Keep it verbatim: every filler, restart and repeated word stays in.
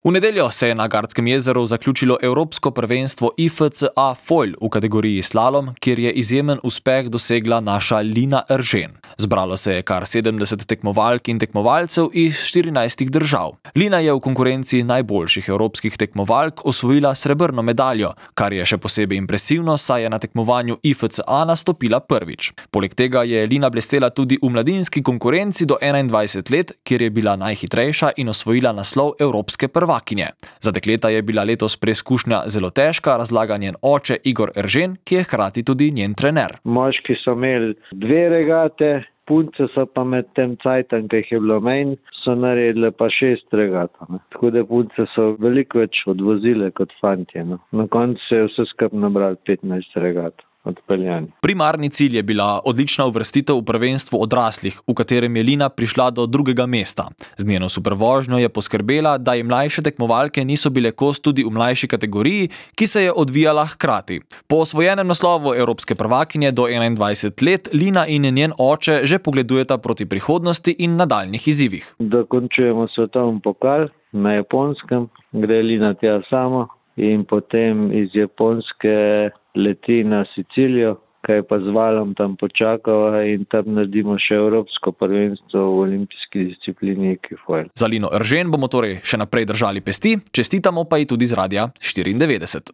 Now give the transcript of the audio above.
V nedeljo se je na Gardskem jezeru zaključilo Evropsko prvenstvo I F C A Foil v kategoriji slalom, kjer je izjemen uspeh dosegla naša Lina Eržen. Zbralo se je kar sedemdeset tekmovalk in tekmovalcev iz štirinajstih držav. Lina je v konkurenci najboljših evropskih tekmovalk osvojila srebrno medaljo, kar je še posebej impresivno, saj je na tekmovanju I F C A nastopila prvič. Poleg tega je Lina blestela tudi v mladinski konkurenci do enaindvajset let, kjer je bila najhitrejša in osvojila naslov evropske prvakinje. Za dekleta je bila letos preizkušnja zelo težka, razlaga njen oče Igor Eržen, ki je hkrati tudi njen trener. Moški so imeli dve regate, punce so pa med tem cajtom, ki jih je bilo menj, so naredile pa šest regat. Ne. Tako da punce so veliko več odvozile kot fantje. No. Na koncu se je vse skupaj nabrali petnajst regat. Odpeljani. Primarni cilj je bila odlična uvrstitev v prvenstvo odraslih, v katerem je Lina prišla do drugega mesta. Z njeno supervožnjo je poskrbela, da ji mlajše tekmovalke niso bile kos tudi v mlajši kategoriji, ki se je odvijala hkrati. Po osvojenem naslovu evropske prvakinje do enaindvajset let Lina in njen oče že pogledujeta proti prihodnosti in nadaljnjih izzivih. Dokončujemo svetovni pokal na Japonskem, gre Lina tja sama in potem iz Japonske leti na Sicilijo, kaj pa z valom tam počakava in tam naredimo še evropsko prvenstvo v olimpijski disciplini ekifoil. Za Lino Eržen bomo torej še naprej držali pesti, čestitamo pa ji tudi z Radia štiriindevetdeset.